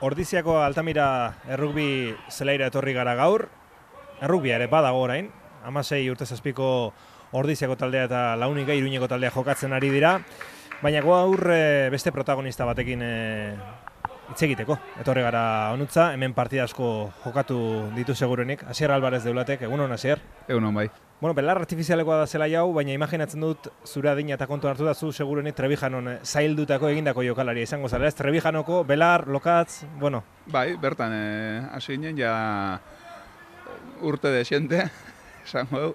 Ordiziako Altamira errugbi zelaira etorri gara gaur. Errugbia ere badago orain. 16 urte zazpiko Ordiziako taldea eta Launika Iruñeko taldea jokatzen ari dira. Baina gaur beste protagonista batekin hitz egiteko. Etorri gara honutza, hemen partida asko jokatu ditu segurenik. Asier Alvarez Deulatek, egunon Asier? Egunon bai. Bueno, belar artifizialekoa da zela jau, baina imaginatzen dut zure adina eta kontu hartu da zu segurenik Trebijanon zaildutako egindako jokalaria izango zara, ez? Trebijanoko, belar, lokatz, bueno. Bai, bertan hasi ginen ja urte desiente, esango du,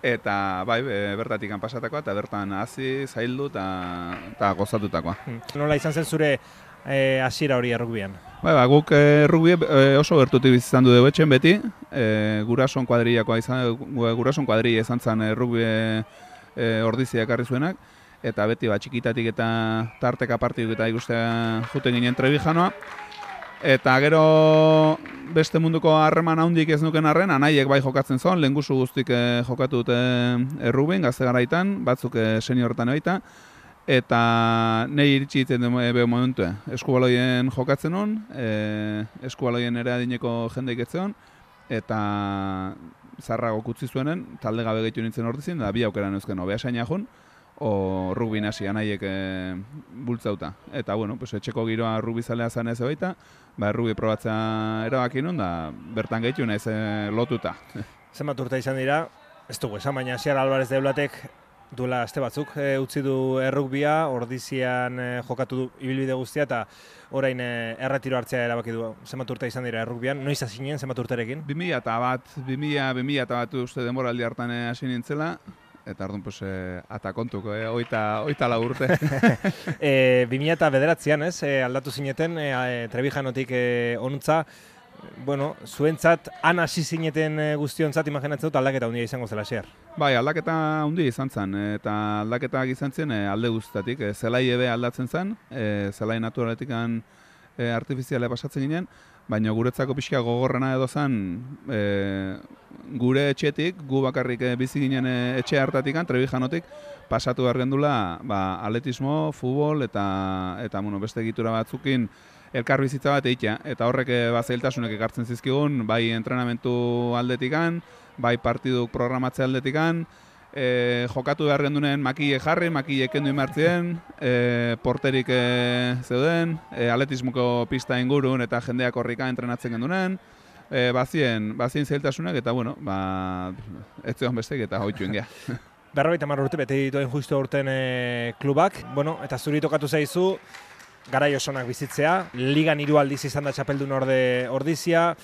eta bai, bertatik pasatakoa, eta bertan hasi, zaildu eta gozatutakoa. Nola izan zen zure hasiera hori errugbian? Bai, guk errugbi oso gertutik izan du dugu etxen beti, gurason kuadrillakoa gurason kuadrilla izan zen errugbi Ordizia ekarri zuenak, eta beti txikitatik eta tarteka partiduk eta ikustea juten ginen Trebijanoa. Eta gero beste munduko harreman handik ez nuken arren, anaiek bai jokatzen zon, lehengusu guztik jokatu dute errugbin, gazte garaitan, batzuk seniorretan baita. Eta nahi iritsi ditzen beho momentu, eskubaloien jokatzen hon, eskubaloien ere adineko jendeik etzen, eta zarrago kutzi zuenen, talde gabe gehitu nintzen Ordizien, da bi aukeran eusken obea saina jun, o rugbi nasi anaiek bultzauta. Eta, bueno, pues, etxeko giroa rugbi zalea zan ez baita, rugbi probatzea erabaki nun, da bertan gehitu naiz lotuta. Zenbat urte izan dira, ez dugu esan, baina Asier Alvarez Deulatek duela aste batzuk utzi du errugbia, Ordizian jokatu du ibilbide guztia eta orain erretiro hartzea erabaki du. Zenbat urte izan dira errugbian, noiz hasi ginen zenbat urterekin? 2001 uste denboraldi hartan hasi nintzela, eta orduan pues, ata kontuko, 24 urte. 2009an aldatu zineten Trebijanotik honuntza. Bueno, zuentzat, han hasi zineten guztiontzat, imaginatzen dut aldaketa handia izango zela, Asier? Bai, aldaketa handia izan zen, eta aldaketak izan zen alde guztatik. Zelai ebe aldatzen zen, zelai naturaletik artifiziale pasatzen ginen, baina guretzako pixka gogorrena edo zen, gure etxetik, gu bakarrik bizi ginen etxe hartatik, Trebijanotik, pasatu behar gendula atletismo, futbol eta beste egitura batzukin elkar bizitza bat eitea, eta horrek zailtasunek ekartzen zizkigun, bai entrenamentu aldetikan, bai partiduk programatzea aldetikan, jokatu behar gendunen makile jarri, makile kendu imartzien, porterik zeuden, atletismoko pista ingurun eta jendeak horrika entrenatzen gendunen, bazien zailtasunak eta, bueno, ez zegoen bestek eta hoituen geha. 50 urte bete dituen justu urten klubak, bueno, eta zuri tokatu zaizu, garai osonak bizitzea, ligan 3 aldiz izan da txapeldun Ordizia,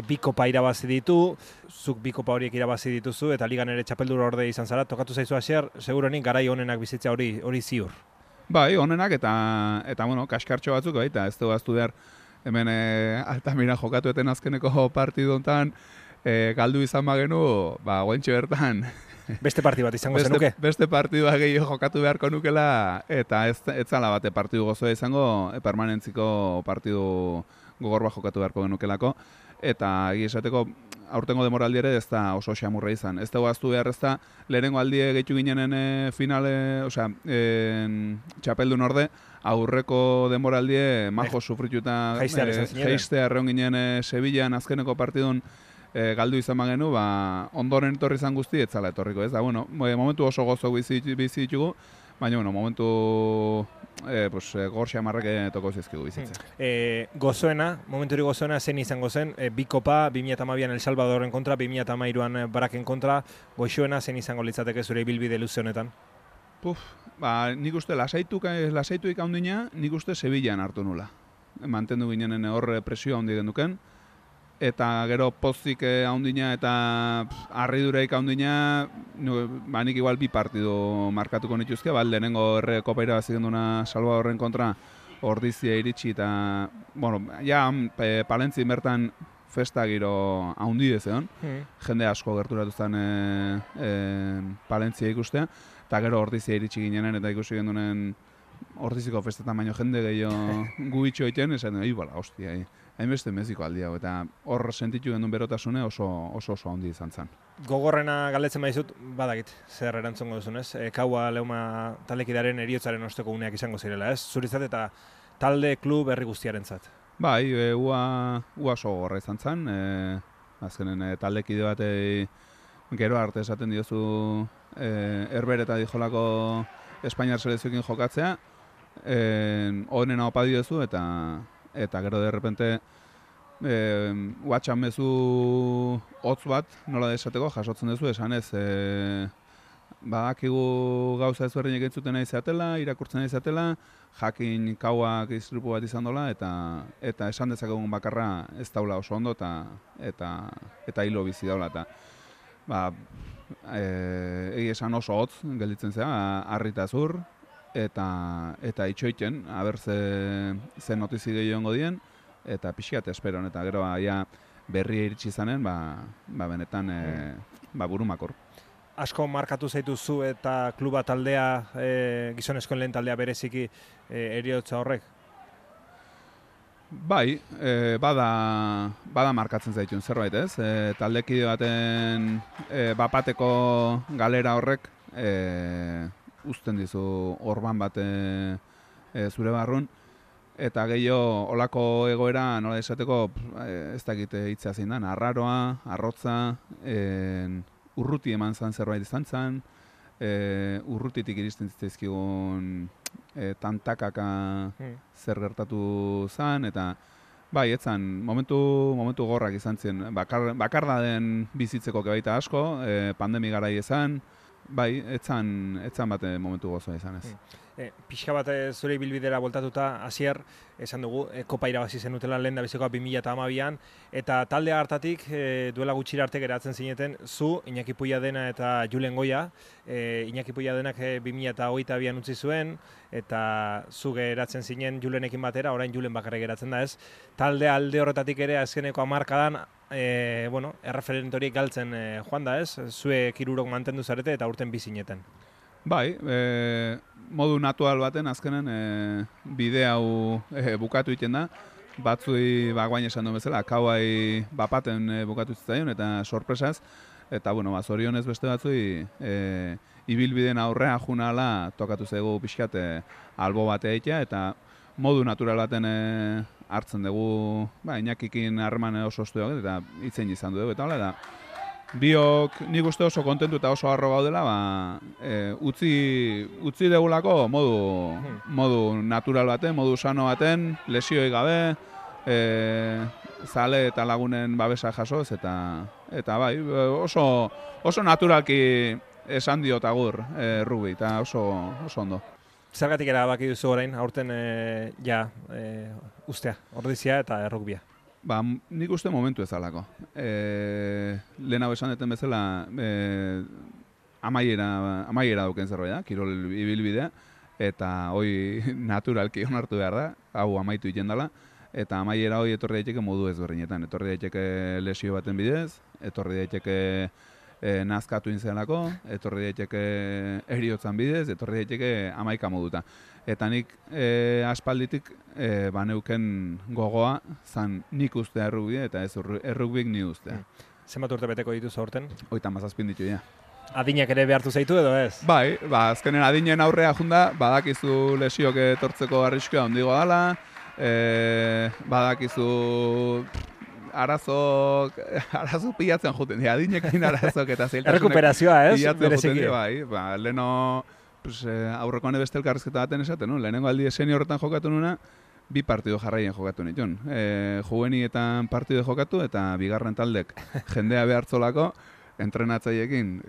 bi kopa irabazi ditu, zuk bi kopa horiek irabazi dituzu, eta ligan ere txapeldun orde izan zara, tokatu zaizu Asier, segurenik garai onenak bizitzea hori ziur. Bai, onenak eta bueno, kaskartxo batzuk baita, ez dugu aztu behar, hemen Altamira jokatu eten azkeneko partidu hontan, galdu izan bagenu, guentxe bertan, beste partidu bat izango zenuke? Beste partidua gehiago jokatu beharko nukela, eta ez zala bate partidu gozoa izango, permanentziko partidu gogor bat jokatu beharko genukelako, eta esateko aurtengo demoraldi ere ez da oso xamurra izan. Ez dugu aztu behar ez da, lehenengo aldie gehitu ginenen finale, txapeldun orde, aurreko demoraldie majo sufrituta geistea erreon ginen Sevillan azkeneko partidun galdu izan bagenu, ondoren etorri izan guzti, ez zala etorriko, ez da, bueno, momentu oso gozo bizi ditugu, baina, bueno, momentu gor xamarrak toko zizkigu bizitzen. Gozoena, momentu hori gozoena zen izango zen, bi kopa, 2012an El Salvadorren kontra, 2013an Baraken kontra, goxoena zen izango litzateke zure ibilbide luze honetan? Nik uste lasaituik handina, nik uste Sevillan hartu nula. Mantendu ginen hor presio handi genduken, eta gero pozik handina eta harriduraik handina, nik igual bi partidu markatuko nituzke, lehenengo kopa irabazi genduna Salvadorren kontra Ordizia iritsi eta, bueno, Palentzin bertan festa giro handi dezeon, jende asko gerturatu zen Palentzia ikustea, eta gero Ordizia iritsi ginenen eta ikusi gendunen Ordiziko festetan baino jende gehiago gu itxo egiten, esan hostia, hainbeste meziko aldiago, eta hor sentitu gendun berotasune oso handi izan zen. Gogorrena galdetzen baizut, badakit, zer erantzongo duzunez, Kaua Leuma taldekidearen heriotzaren osteko uneak izango zirela, ez? Zuritzat eta talde klub herri guztiarentzat. Bai, ua oso gorra izan zen, azkenen taldekide batei gero arte esaten diozu Herber eta Dijolako Espainiar selezioekin jokatzea, honena opa diozu eta gero de repente WhatsApp mezu hotz bat, nola esateko, jasotzen duzu, esanez, badakigu gauza ezberdinek entzuten nahi zeatela, irakurtzen nahi zeatela, jakin kauak istripu bat izan dola, eta esan dezakegun bakarra ez daula oso ondo, eta hilo bizi daula, eta egi esan oso hotz gelditzen zera, harrita zur, eta itxoiten, aber ze notizi gehiago dien, eta pixkat esperon, eta gero berria iritsi izanen, benetan burumakor. Asko markatu zaituzu eta kluba taldea, gizonezkoen lehen taldea bereziki heriotza horrek? Bai, bada markatzen zaitun zerbait, ez? Taldekide baten bapateko galera horrek uzten dizu orban bat zure barrun, eta gehiago olako egoera nola esateko ez dakit hitzea zein da, arraroa, arrotza, urruti eman zan zerbait izan zen, urrutitik iristen zitzaizkigun tantakaka zer gertatu zen, eta bai, etzan, momentu gorrak izan zen, bakarda den bizitzeko baita asko, pandemi garai ezan, bai, etzan bate momentu gozoa izan ez. Pixka bat zure ibilbidera voltatuta, Asier, esan dugu, kopa irabazi zenutela lehen da bizikoa 2012an, eta talde hartatik duela gutxira arte geratzen zineten, zu, Iñaki Puiadena eta Julen Goia, Iñaki Puiadenak 2022an utzi zuen, eta zu geratzen zinen Julenekin batera, orain Julen bakarrik geratzen da ez. Talde alde horretatik ere azkeneko hamarkadan, erreferente horiek galtzen joan da ez, zuek hirurok mantendu zarete eta urten bizineten. Bai, modu natural baten azkenen bide hau bukatu egiten da, batzui guain esan duen bezala, kauai bapaten bukatu zitzaion eta sorpresaz, eta zorionez beste batzui ibilbideen aurrea junala tokatu zaigu pixkat albo bat egitea, eta modu natural baten hartzen dugu, Iñakikin harreman oso ostu dugu, eta itzein izan dugu, eta hola da. Biok nik uste oso kontentu eta oso harro gaudela, utzi degulako modu natural baten, modu sano baten, lesioi gabe, zale eta lagunen babesa jasoz, eta bai, oso naturalki esan diot agur rugby, eta oso ondo. Zergatik erabaki duzu orain, aurten ustea, ordizia eta errugbia? Nik uste momentu ezalako. Lehenago esan deten bezala amaiera dauken zerbait da, kirol ibilbidea, eta hoi naturalki onartu behar da, hau amaitu iten dela, eta amaiera hoi etorri daiteke modu ezberdinetan. Etorri daiteke lesio baten bidez, etorri daiteke nazkatu inzelako, etorri daiteke heriotzan bidez, etorri daiteke amaika moduta. Eta nik aspalditik baneuken gogoa zan nik ustea errugbia eta ez errugbik ni ustea. Zenbat urte beteko dituzu aurten? 37 ditu, ja. Adinak ere behartu zaitu edo ez? Bai, azkenen adinen aurrea junda, badakizu lesiok etortzeko arriskua handigoa dela, badakizu arazo pilatzen juten, adinekin arazok eta zailtasunek errekuperazioa, ez? Pilatzen juten, bai, leheno aurreko hone beste elkarrizketa baten esaten, lehenengo aldi senior horretan jokatu nuna, 2 partido jarraien jokatu nituen. Juvenietan partido jokatu eta bigarren taldek jendea behartzolako entrenatzaiekin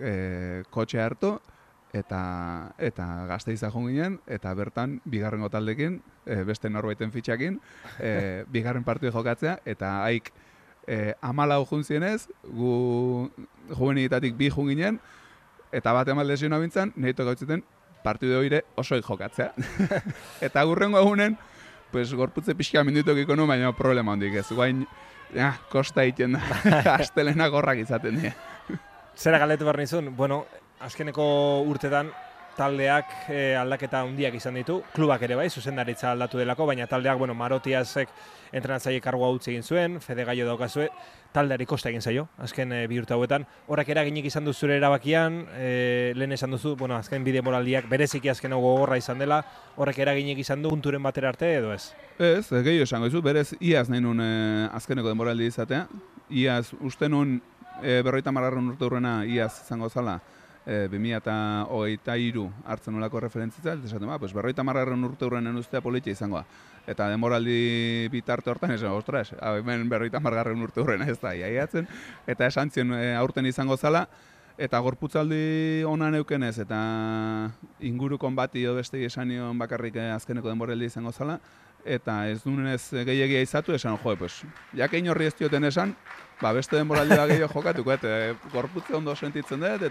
kotxe hartu eta Gasteiza joan ginen, eta bertan bigarrengo taldekin, beste norbaiten fitxakin, bigarren partido jokatzea, eta haik 14 juntzienez, gu juvenietatik 2 joan ginen, eta bat eman lesiona bintzan, nahi tokautzeten partido hori osoik jokatzea. Eta gurrengo egunen, gorputze pixka mindutok nuen, baina problema handik ez. Guain, kosta egiten da, astelena gorrak izaten dira. Zera galdetu behar nizun, azkeneko urtetan, taldeak aldaketa handiak izan ditu, klubak ere bai, zuzendaritza aldatu delako, baina taldeak, Marotiasek entrenatzaile kargoa utzi egin zuen, Fede Gaio daukazue, taldeari kosta egin zaio, azken bi urte hauetan. Horrek eraginik izan du zure erabakian, lehen esan duzu, azken bide moraldiak bereziki azken hau gogorra izan dela, horrek eraginik izan du punturen batera arte edo ez? Ez, gehiago esango izu, berez iaz nahi nun azkeneko denboraldi izatea, iaz uste nun 50 urte hurrena iaz izango zala, 2023 hartzen nolako referentzitza, eta esaten, 50 urte hurrenen ustea politia izangoa. Eta denboraldi bitarte hortan esan, ostras, hemen 50 urte hurrena ez da, iaiatzen, eta esan zion aurten izango zala, eta gorputzaldi onan eukenez, eta ingurukon bati edo beste esan nion bakarrik azkeneko denboraldi izango zala, eta ez dunez gehiagia izatu, esan, jakein horri ez dioten esan, beste denboraldi da gehiago jokatuko, eta gorputze ondo sentitzen dut,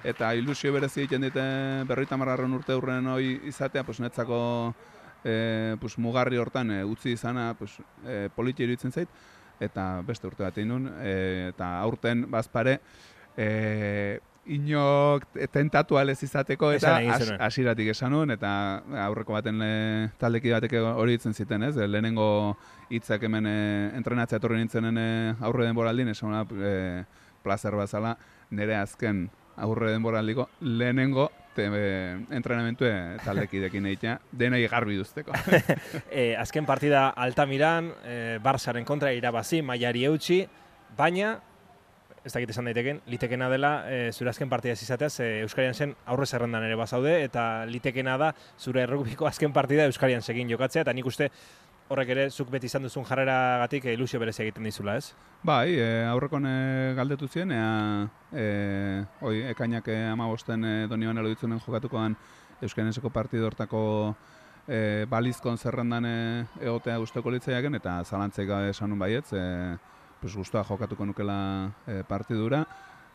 eta ilusio berezi egiten dite 50 urte hurren hori izatea, netzako mugarri hortan utzi izana politia iruditzen zait, eta beste urte bat egin nun, eta aurten bazpare, inok tentatu alez izateko, eta hasieratik esan nuen, eta aurreko baten taldeki batek hori ditzen ziten, ez? Lehenengo hitzak hemen entrenatzea etorri nintzenen aurre denboraldin, esan plazer bazala, nire azken aurre denboraldiko lehenengo entrenamentu taldekidekin egitea, denei garbi duzteko. Azken partida Altamiran, Barsaren kontra irabazi, mailari eutxi, baina ez dakit esan daiteken, litekena dela zure azken partida ez izateaz Euskarian zen aurre zerrendan ere bazaude, eta litekena da zure errugbiko azken partida Euskarian segin jokatzea, eta nik uste horrek ere zuk beti izan duzun jarreragatik ilusio berezia egiten dizula, ez? Bai, aurrekon galdetu zien, ekainak 15 Donibane Loditzunen jokatukoan Euskarianseko partido hortako balizkon zerrendan egotea gustoko litzaiaken, eta zalantzaik gabe esan nun baietz, guztua jokatuko nukela partidura,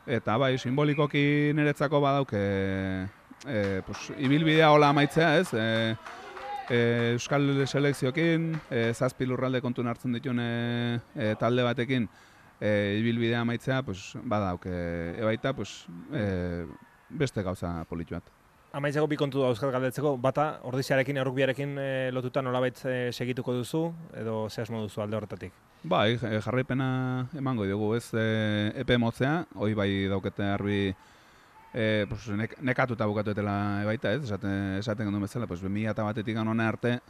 eta bai, simbolikoki niretzako badauk ibilbidea hola amaitzea, ez? Euskal selekzioekin, 7 lurralde kontun hartzen dituen talde batekin ibilbidea amaitzea, badauk ebaita beste gauza politu bat. Amaitzeko bi kontu dauzkat galdetzeko, bata ordiziarekin, errukbiarekin lotuta nolabait segituko duzu, edo ze asmo duzu alde horretatik? Bai, jarraipena emango dugu, ez epe motzea, hoi bai daukete harbi nekatuta bukatuetela ebaita, ez? Esaten gendu bezala, 2001-etik hona arte,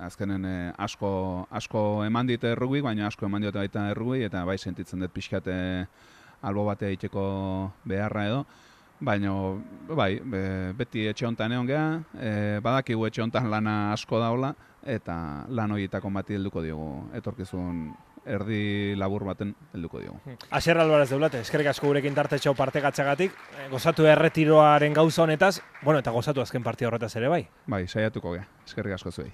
azkenen asko eman dit errugbi, baina asko eman diote baita errugbi, eta bai sentitzen dut pixkat albo batea egiteko beharra edo, baina bai, beti etxe hontan egon geha, badakigu etxe hontan lana asko daula, eta lan horietako bati helduko diogu, etorkizun erdi labur baten helduko diogu. Asier Alvarez Deulate, eskerrik asko gurekin tartetxo partekatzagatik, gozatu erretiroaren gauza honetaz, eta gozatu azken partida horretaz ere bai. Bai, saiatuko geha, eskerrik asko zuei.